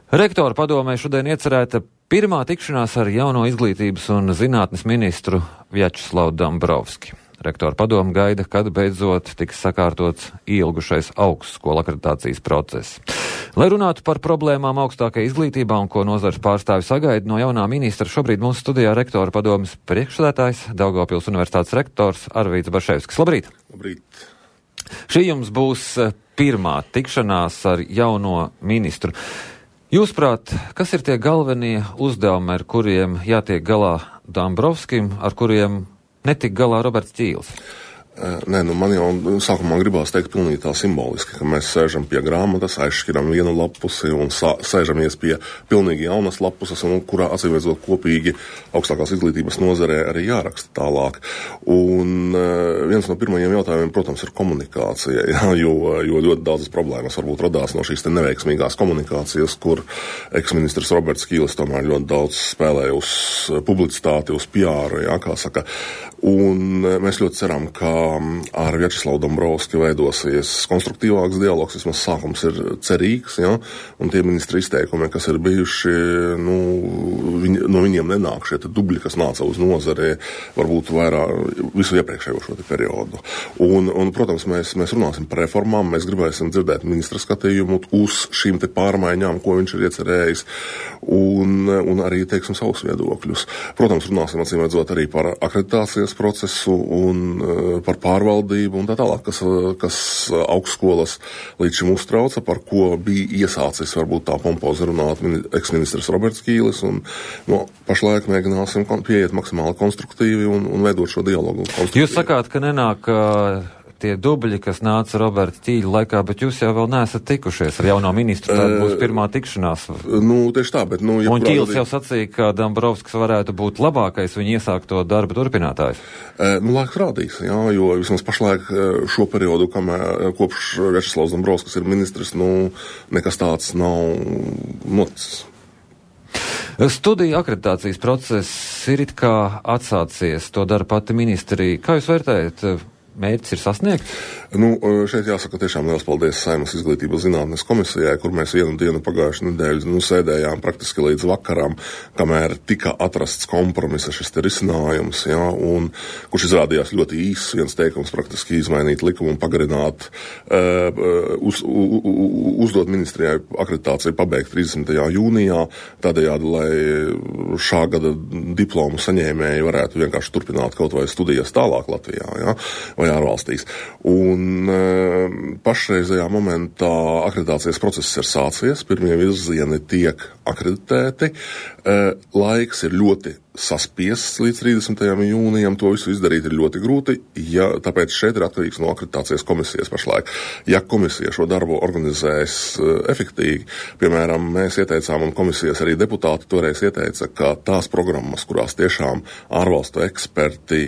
Rektora padomē šodien iecerēta pirmā tikšanās ar jauno izglītības un zinātnes ministru Vjačeslavu Dombrovski. Rektora padome gaida, kad beidzot tiks sakārtots ilgušais augstskolu akreditācijas process. Lai runātu par problēmām augstākajā izglītībā un ko nozares pārstāvi sagaida no jaunā ministra, šobrīd mūsu studijā rektora padomes priekšsēdētājs, Daugavpils Universitātes rektors Arvīds Barševskis. Labrīt! Labrīt! Šī jums būs pirmā tikšanās ar jauno ministru. Jūsuprāt, kas ir tie galvenie uzdevumi, ar kuriem jātiek galā Dombrovskim, ar kuriem netik galā Roberts Ķīls? Nē, man jau sākumā gribās teikt pilnīgi tā simboliski, ka mēs sēžam pie grāmatas, aizšķiram vienu lapusi un sēžamies pie pilnīgi jaunas lapuses, un kurā acīmredzot kopīgi augstākās izglītības nozarē arī jāraksta tālāk. Un viens no pirmajiem jautājumiem, protams, ir komunikācija, jo ļoti daudzas problēmas varbūt radās no šīs te neveiksmīgās komunikācijas, kur eksministrs Roberts Ķīlis tomēr ļoti daudz spēlēja uz publicitāti, uz PR, kā saka. Un mēs ļoti ceram, ka ar Vjačeslavu Dombrovski veidosies konstruktīvāks dialogs, vismaz sākums ir cerīgs, un tie ministri izteikumi, kas ir bijuši, no viņiem nenāk šie dubļi, kas nāca uz nozari, varbūt vairāk visu iepriekšējo šo periodu. Un protams, mēs runāsim par reformām, mēs gribēsim dzirdēt ministra skatījumu uz šīm te pārmaiņām, ko viņš ir iecerējis, un arī, teiksim, savus viedokļus. Protams, runāsim acīmredzot arī par akreditācijas procesu un par pārvaldību un tā tālāk, kas augstskolas līdz šim uztrauca, par ko bija iesācis varbūt tā pompozi runāt eksministrs Roberts Ķīlis, un pašlaik mēģināsim pieiet maksimāli konstruktīvi un veidot šo dialogu. Jūs sakāt, ka nenāk tie dubļi, kas nāca Roberta Ķīļa laikā, bet jūs jau vēl neesat tikušies ar jauno ministru, tā būs pirmā tikšanās. Tieši tā, bet un Ķīlis jau sacīja, ka Dombrovskis varētu būt labākais viņa iesākto darba turpinātājs. Laiks rādīs, jo vismaz pašlaik šo periodu, kopš Vjačeslavs Dombrovskis ir ministrs, nekas tāds nav noticis. Studiju akreditācijas process ir it kā atsācies, to dara pati ministrija. Kā jūs vērtējat? Mērķis ir sasniegts? Šeit jāsaka tiešām liels paldies Saeimas izglītības zinātnes komisijai, kur mēs vienu dienu pagājušu nedēļu sēdējām praktiski līdz vakaram, kamēr tika atrasts kompromisa šis te risinājums, un kurš izrādījās ļoti īss, viens teikums praktiski izmainīt likumu un pagarināt, uzdot ministrijai akreditāciju pabeigt 30. jūnijā, tādējādi, lai šā gada diplomu saņēmēji varētu vienkārši turpināt kaut vai studijas tālāk Latvijā, vai ārvalstīs. Un pašreizajā momentā akreditācijas process ir sācies, pirmie virzieni tiek akreditēti, laiks ir ļoti saspiests līdz 30. jūnijam, to visu izdarīt ir ļoti grūti, tāpēc šeit ir atkarīgs no akreditācijas komisijas pašlaik. Ja komisija šo darbu organizēs efektīvi, piemēram, mēs ieteicām, un komisijas arī deputāti toreiz ieteica, ka tās programmas, kurās tiešām ārvalstu eksperti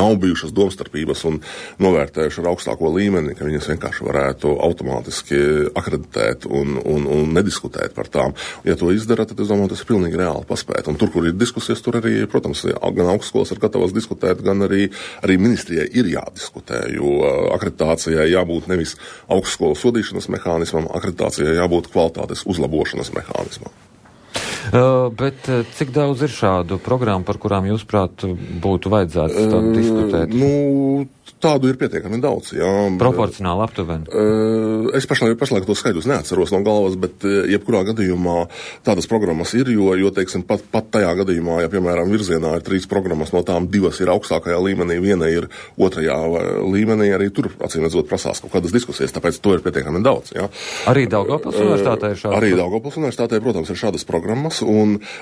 nav bijušas domstarpības un novērtējuši ar augstāko līmeni, ka viņas vienkārši varētu automātiski akreditēt un nediskutēt par tām. Ja to izdara, tad es domāju, tas ir pilnīgi reāli paspēt. Un tur, kur ir diskusijas, tur arī, protams, gan augstskolas ir gatavas diskutēt, gan arī ministrijai ir jādiskutē, jo akreditācijai jābūt nevis augstskolas sodīšanas mehānismam, akreditācijai jābūt kvalitātes uzlabošanas mehānismam. Bet cik daudz ir šādu programmu, par kurām jūs, prāt, būtu vajadzētu diskutēt? Tādu ir pietiekami daudz, Proporcionāli aptuveni? Es pašlaik to skaidrus neatceros no galvas, bet jebkurā gadījumā tādas programmas ir, jo teiksim, pat tajā gadījumā, ja, piemēram, virzienā ir 3 programmas, no tām 2 ir augstākajā līmenī, viena ir 2. līmenī, arī tur, acīmredzot, prasās kaut kādas diskusijas, tāpēc to ir pietiekami daudz, Arī Daugavpils universitātē ir šādas? Arī Daugavpils universitātē, protams, ir šādas programmas,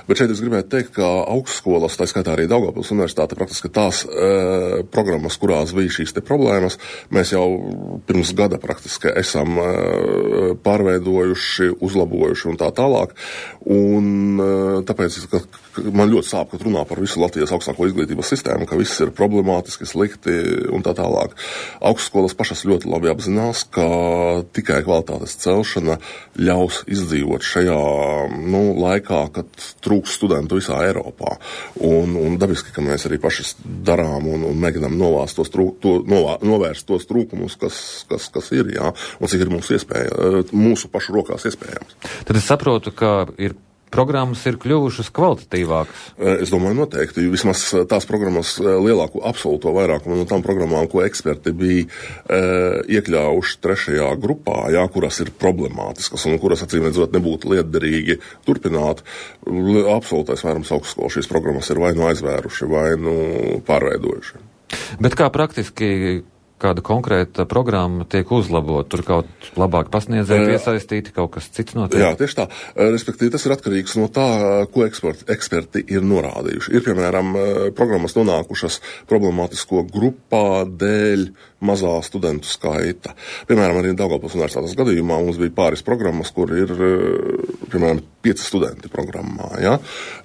bet šeit es gribētu teikt, ka augstskolas, tā skaitā arī Daugavpils universitāte, praktiski tās programmas, kurās bija šīs te problēmas, mēs jau pirms gada praktiski esam pārveidojuši, uzlabojuši un tā tālāk. Un tāpēc, ka man ļoti sāp, kad runā par visu Latvijas augstāko izglītības sistēmu, ka viss ir problemātiski, slikti un tā tālāk. Augstskolas pašas ļoti labi apzinās, ka tikai kvalitātes celšana ļaus izdzīvot šajā laikā, ka trūks studentu visā Eiropā. Un dabiski, ka mēs arī paši darām un mēģinām novērst tos trūkumus, kas ir, jā, un cik ir mūsu pašu rokās iespējams. Tad es saprotu, ka programmas ir kļuvušas kvalitatīvākas. Es domāju, noteikti. Vismaz tās programmas lielāko absolūto vairākumu no tām programmām, ko eksperti bija iekļāvuši 3. grupā, jā, kuras ir problemātiskas un kuras, acīmredzot, nebūtu lietderīgi turpināt, absolūtais vairums augstskolu šīs programmas ir vai nu aizvēruši, vai nu pārveidojuši. Bet kā praktiski kāda konkrēta programma tiek uzlabot, tur kaut labāk pasniedzēji piesaistīti, kaut kas cits notiek? Jā, tieši tā. Respektīvi, tas ir atkarīgs no tā, ko eksperti ir norādījuši. Ir, piemēram, programmas nonākušas problemātisko grupā dēļ mazā studentu skaita. Piemēram, arī Daugavpils universitātes gadījumā mums bija pāris programmas, kur ir, piemēram, 5 studenti programmā, ja?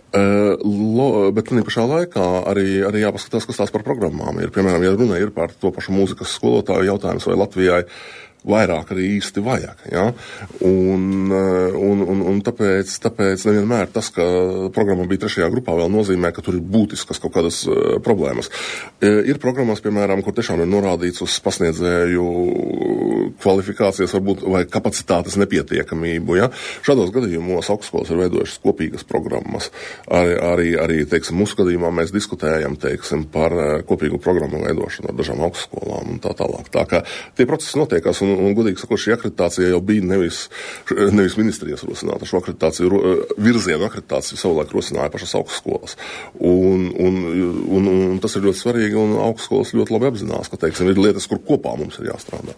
Bet tādā pašā laikā arī jāpaskatās, kas tās par programmām ir. Piemēram, ja runa ir par to pašu mūzikas skolotāju jautājums, vai Latvijai vairāk arī īsti vajag, ja? Un tāpēc nevienmēr tas, ka programma bija 3. grupā, vēl nozīmē, ka tur ir būtiskas kaut kādas problēmas. Ir programmas, piemēram, kur tiešām ir norādīts uz pasniedzēju kvalifikācijas varbūt vai kapacitātes nepietiekamību, ja? Šādos gadījumos augstskolas ir veidojušas kopīgas programmas. Arī teiksim, mūsu gadījumā mēs diskutējam, teiksim, par kopīgu programmu veidošanu ar dažām augstskolām un tā tālāk. Tā kā tie procesi notiekās un godīgi sakot, šī akreditācija jau bija nevis ministrijas rosināta. Šo virzienu akreditāciju savulaik rosināja pašas augstskolas. Un tas ir ļoti svarīgi, un augstskolas ļoti labi apzinās, ka, teiksim, ir lietas, kur kopā mums ir jāstrādā.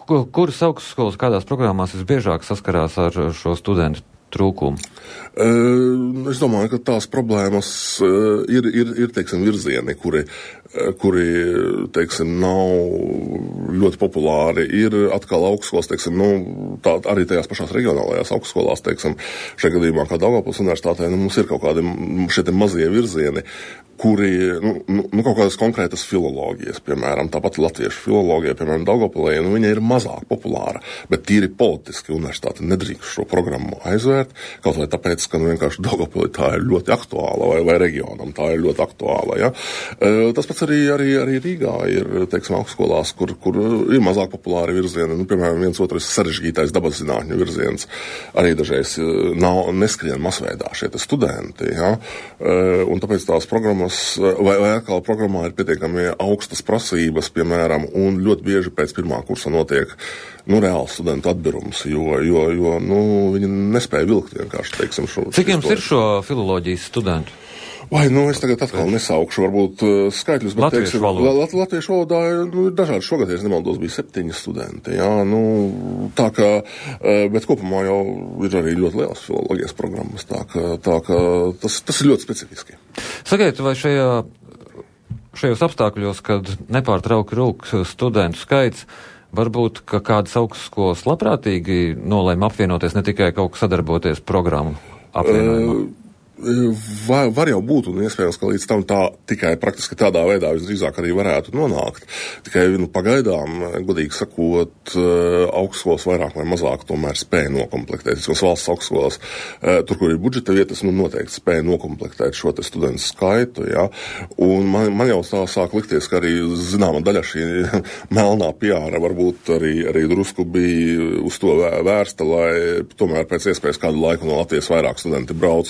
Kuras augstskolas kādās programmās visbiežāk saskarās ar šo studentu trūkumu? Es domāju, ka tās problēmas ir teiksim, virzieni, kuri teiksim, nav ļoti populāri. Ir atkal augstskolas, teiksim, arī tajās pašās reģionālajās augstskolās, teiksim, šajā gadījumā kā Daugavpils universitātē, mums ir kaut kādi šie mazie virzieni, kuri, kaut kādas konkrētas filoloģijas, piemēram, tāpat latviešu filoloģija, piemēram, Daugavpilī, viņa ir mazāk populāra, bet tīri politiski universitāte nedrīkst šo programmu aizvērt, kaut vai tāpēc, ka vienkārši Daugavpilī tā ir ļoti aktuāla, vai reģionam tā ir ļoti aktuāla, ja. Tas pats arī Rīgā ir, teiksim, augstskolās, kur ir mazāk populāri virzieni, piemēram, viens otrs sarežģītais dabas zinātņu virziens, arī dažreiz neskrien masveidā šie studenti, ja, un tāpēc tās programmas vai atkal programmā ir pietiekami augstas prasības, piemēram, un ļoti bieži pēc pirmā kursa notiek reāls studentu atbirums, jo viņi nespēja vilkt vienkārši, teiksim, šo. Cik jums ir šo filoloģijas studentu? Vai, es tagad atkal nesaukšu varbūt skaitļus, bet, teiksim, latviešu valodā ir dažādi. Šogad, ja nemaldos, bija 7 studenti, jā, tā kā, bet kopumā jau ir arī ļoti lielas filoloģijas programmas, tā kā tas ir ļoti specifiski. Sakiet, vai šajos apstākļos, kad nepārtrauki rūk studentu skaits, varbūt, ka kādas augstskolas labprātīgi nolēma apvienoties, ne tikai kaut kā sadarboties programmu apvienojumā? Var jau būt, un iespējams, ka līdz tam tikai praktiski tādā veidā visdrīzāk arī varētu nonākt. Tikai pagaidām, godīgi sakot, augstskolas vairāk vai mazāk tomēr spēja nokomplektēt. Vismaz valsts augstskolas, tur, kur ir budžeta vietas, noteikti spēja nokomplektēt šo te studentu skaitu, ja. Un man jau tā sāk likties, ka arī zināma daļa šī melnā piāra varbūt arī drusku bija uz to vērsta, lai tomēr pēc iespējas kādu laiku no Latvijas vairāk studenti brauc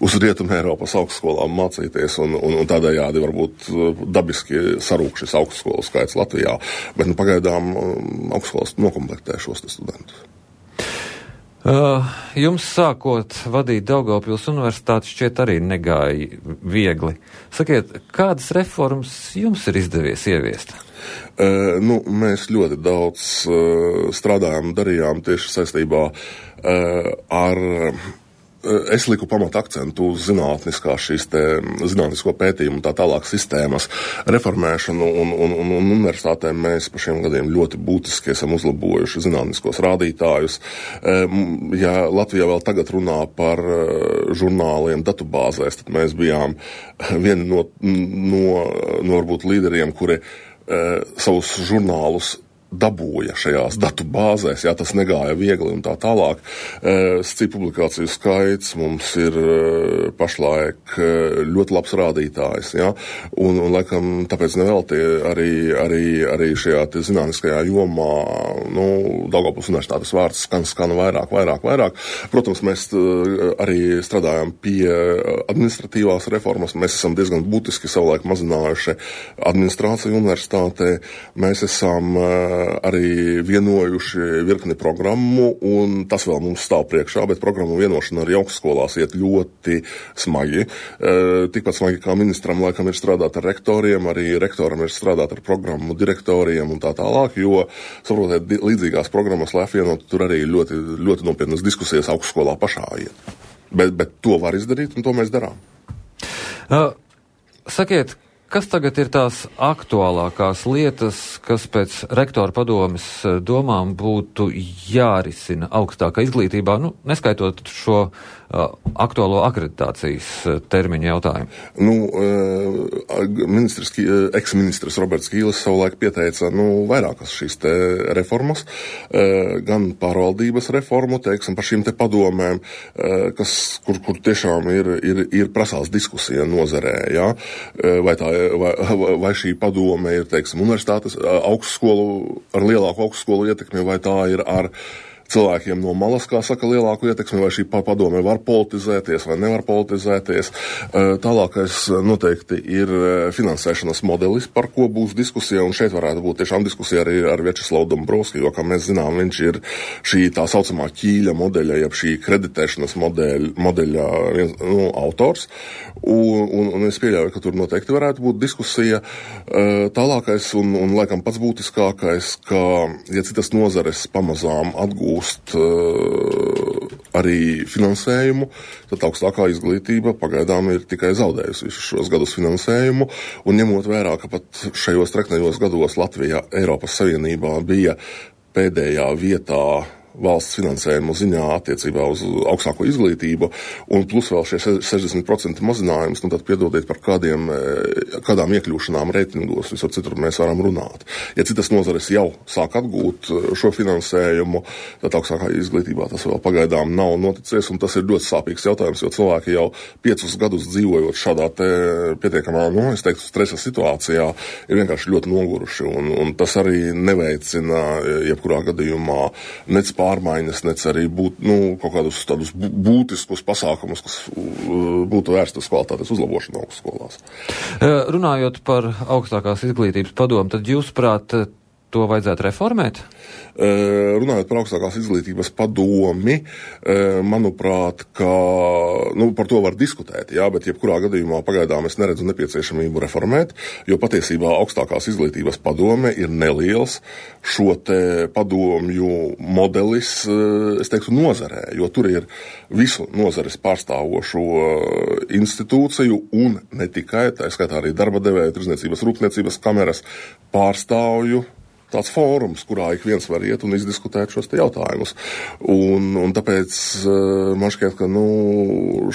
uz Rietumē Eiropas augstskolām mācīties, un tādējādi varbūt dabiski sarūk šis augstskolu skaits Latvijā, bet pagaidām augstskolas nokomplektē šos studentus. Jums sākot vadīt Daugavpils universitāti šķiet arī negāja viegli. Sakiet, kādas reformas jums ir izdevies ieviest? Mēs ļoti daudz strādājām, darījām tieši saistībā ar es liku pamata akcentu uz zinātnisko pētījumu un tā tālāk sistēmas reformēšanu, un universitātēm mēs pa šiem gadiem ļoti būtiski esam uzlabojuši zinātniskos rādītājus. Ja Latvijā vēl tagad runā par žurnāliem datubāzēs, tad mēs bijām vieni no varbūt līderiem, kuri savus žurnālus dabūja šajās datu bāzēs, jā, tas negāja viegli un tā tālāk. Cik publikāciju skaits mums ir pašlaik ļoti labs rādītājs, jā, un laikam tāpēc nevelti arī šajā zinātniskajā jomā, Daugavpils universitātes vārds skan vairāk. Protams, mēs arī strādājam pie administratīvās reformas, mēs esam diezgan būtiski savulaik mazinājuši administrāciju universitātē, mēs esam arī vienojuši virkni programmu, un tas vēl mums stāv priekšā, bet programmu vienošana arī augstskolās iet ļoti smagi. Tikpat smagi kā ministram laikam ir strādāt ar rektoriem, arī rektoram ir strādāt ar programmu direktoriem un tā tālāk, jo, saprotiet, līdzīgās programmas, lai apvienotu, tur arī ļoti, ļoti nopietnas diskusijas augstskolā pašā iet. Bet to var izdarīt, un to mēs darām. Sakiet, kas tagad ir tās aktuālākās lietas, kas pēc rektora padomes domām būtu jārisina augstākā izglītībā, neskaitot šo aktuālo akreditācijas termiņu jautājumu? Eksministrs Roberts Kīlis savulaik pieteica vairākas šīs te reformas, gan pārvaldības reformu, teiksim, par šīm te padomēm, kur tiešām ir prasās diskusija nozarē, jā, vai šī padome ir, teiksim, universitātes augstskolu, ar lielāku augstskolu ietekmi, vai tā ir ar cilvēkiem no malas, kā saka, lielāku ietekmi, vai šī padome var politizēties vai nevar politizēties. Tālākais noteikti ir finansēšanas modelis, par ko būs diskusija, un šeit varētu būt tiešām diskusija arī ar Vjačeslavu Dombrovski, jo, kā mēs zinām, viņš ir šī tā saucamā ķīļa modeļa, jeb šī kreditēšanas modeļa autors, un es pieļauju, ka tur noteikti varētu būt diskusija. Tālākais un laikam pats būtiskākais, ka, ja citas nozares pamazām atgūst arī finansējumu, tad augstākā izglītība pagaidām ir tikai zaudējusi visus šos gadus finansējumu, un ņemot vērā, ka pat šajos treknajos gados Latvija Eiropas Savienībā bija pēdējā vietā valsts finansējumu ziņā attiecībā uz augstāko izglītību, un plus vēl šie 60% mazinājums, tad piedodiet par kādām iekļūšanām reitingos, visur citur mēs varam runāt. Ja citas nozares jau sāk atgūt šo finansējumu, tad augstākā izglītībā tas vēl pagaidām nav noticies, un tas ir ļoti sāpīgs jautājums, jo cilvēki jau 5 gadus dzīvojot šādā te pietiekamā, es teiktu, stresa situācijā, ir vienkārši ļoti noguruši, un tas arī neveicina jebkurā gadījumā nec pārmaiņas, nec arī kaut kādus tādus būtiskus pasākumus, kas būtu vērsti uz kvalitātes uzlabošanu augstskolās. Runājot par augstākās izglītības padomu, tad jūsuprāt, to vajadzētu reformēt? Runājot par augstākās izglītības padomi, manuprāt, ka par to var diskutēt, jā, bet jebkurā gadījumā pagaidām es neredzu nepieciešamību reformēt, jo patiesībā augstākās izglītības padome ir neliels šo te padomju modelis, es teiktu, nozarē, jo tur ir visu nozares pārstāvošo institūciju un ne tikai, tā skaitā arī darba devēja, tirdzniecības, rūpniecības kameras pārstāvju tāds fórums, kurā ik viens var iet un izdiskutēt šos te jautājumus. Un tāpēc man šķiet, ka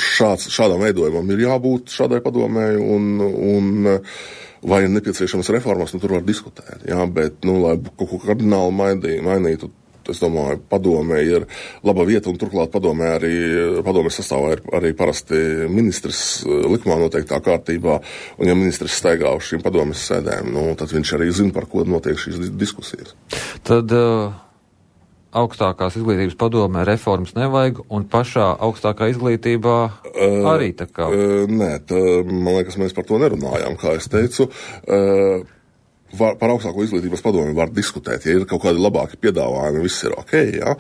šādam veidojumam ir jābūt šādai padomēji, un vai ir nepieciešamas reformas, tur var diskutēt. Jā, bet, lai kaut ko kardināli mainītu, es domāju, padomē ir laba vieta, un turklāt padomē sastāvā ir arī parasti ministrs likumā noteiktā kārtībā, un ja ministrs staigā uz šīm padomes sēdēm, tad viņš arī zina, par ko notiek šīs diskusijas. Tad augstākās izglītības padomē reformas nevajag, un pašā augstākā izglītībā arī tā kā? Nē, man liekas, mēs par to nerunājām, kā es teicu. Par augstāko izglītības padomi var diskutēt, ja ir kaut kādi labāki piedāvājumi, viss ir ok, jā.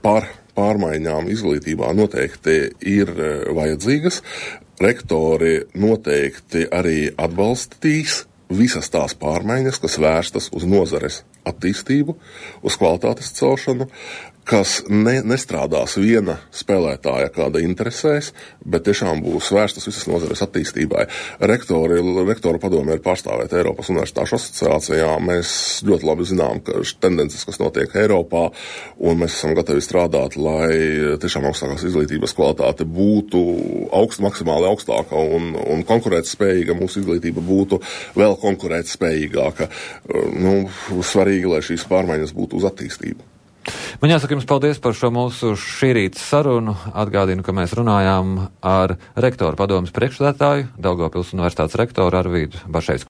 Par pārmaiņām izglītībā noteikti ir vajadzīgas. Rektori noteikti arī atbalstīs visas tās pārmaiņas, kas vērstas uz nozares attīstību, uz kvalitātes celšanu, kas nestrādās viena spēlētāja kāda interesēs, bet tiešām būs vērstas visas nozares attīstībai. Rektoru padome ir pārstāvēta Eiropas Universitāšu asociācijā. Mēs ļoti labi zinām, ka tendences, kas notiek Eiropā, un mēs esam gatavi strādāt, lai tiešām augstākās izglītības kvalitāte būtu maksimāli augstāka un konkurētspējīga, mūsu izglītība būtu vēl konkurētspējīgāka. Svarīgi, lai šīs pārmaiņas būtu uz attīstību. Man jāsaka jums paldies par šo mūsu šī rīta sarunu. Atgādinu, ka mēs runājām ar rektoru padomes priekšsēdētāju, Daugavpils Universitātes rektoru Arvīdu Bašeivsku.